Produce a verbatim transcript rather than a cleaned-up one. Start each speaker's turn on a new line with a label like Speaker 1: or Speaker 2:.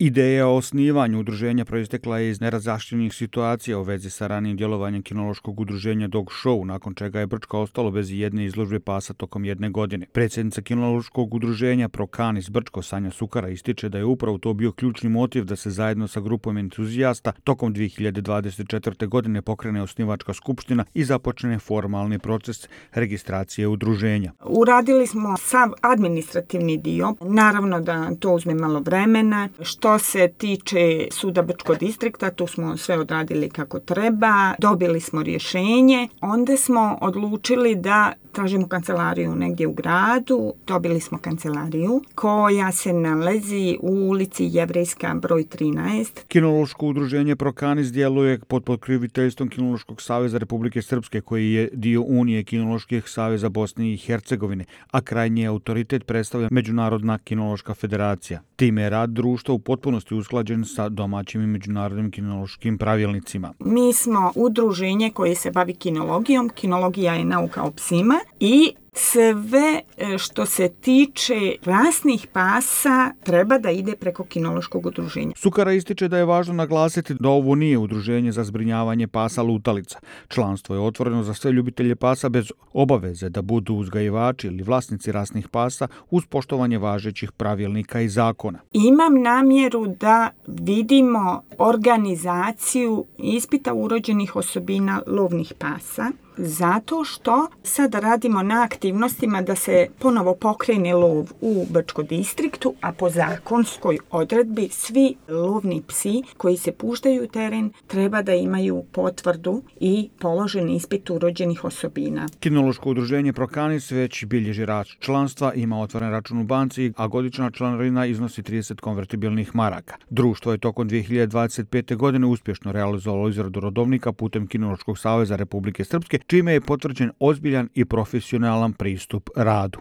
Speaker 1: Ideja o osnivanju udruženja proistekla je iz nerazjašnjenih situacija u vezi sa ranijim djelovanjem kinološkog udruženja Dog Show, nakon čega je Brčko ostalo bez jedne izložbe pasa tokom jedne godine. Predsjednica kinološkog udruženja Procanis Brčko Sanja Sukara ističe da je upravo to bio ključni motiv da se zajedno sa grupom entuzijasta tokom dvije hiljade dvadeset četvrte. godine pokrene osnivačka skupština i započne formalni proces registracije udruženja.
Speaker 2: Uradili smo sav administrativni dio, naravno da to uzme malo vremena. Što se tiče suda Brčkog distrikta, tu smo sve odradili kako treba, dobili smo rješenje, onda smo odlučili da tražimo kancelariju negdje u gradu, dobili smo kancelariju koja se nalazi u ulici Jevrejska broj trinaest.
Speaker 1: Kinološko udruženje Procanis djeluje pod pokroviteljstvom Kinološkog saveza Republike Srpske, koji je dio Unije kinoloških saveza Bosne i Hercegovine, a krajnji autoritet predstavlja Međunarodna kinološka federacija. Time je rad društva u potpunosti usklađen sa domaćim i međunarodnim kinološkim pravilnicima.
Speaker 2: Mi smo udruženje koje se bavi kinologijom. Kinologija je nauka o psima i sve što se tiče rasnih pasa treba da ide preko kinološkog udruženja.
Speaker 1: Sukara ističe da je važno naglasiti da ovo nije udruženje za zbrinjavanje pasa lutalica. Članstvo je otvoreno za sve ljubitelje pasa bez obaveze da budu uzgajivači ili vlasnici rasnih pasa uz poštovanje važećih pravilnika i zakona.
Speaker 2: Imam namjeru da vidimo organizaciju ispita urođenih osobina lovnih pasa, zato što sad radimo na aktivnostima da se ponovo pokrene lov u Brčkom distriktu, a po zakonskoj odredbi svi lovni psi koji se puštaju u teren treba da imaju potvrdu i položen ispit urođenih osobina.
Speaker 1: Kinološko udruženje Procanis već bilježi rast članstva, ima otvoren račun u banci, a godišnja članarina iznosi trideset konvertibilnih maraka. Društvo je tokom dvije hiljade dvadeset pete. godine uspješno realizovalo izradu rodovnika putem Kinološkog saveza Republike Srpske, čime je potvrđen ozbiljan i profesionalan pristup radu.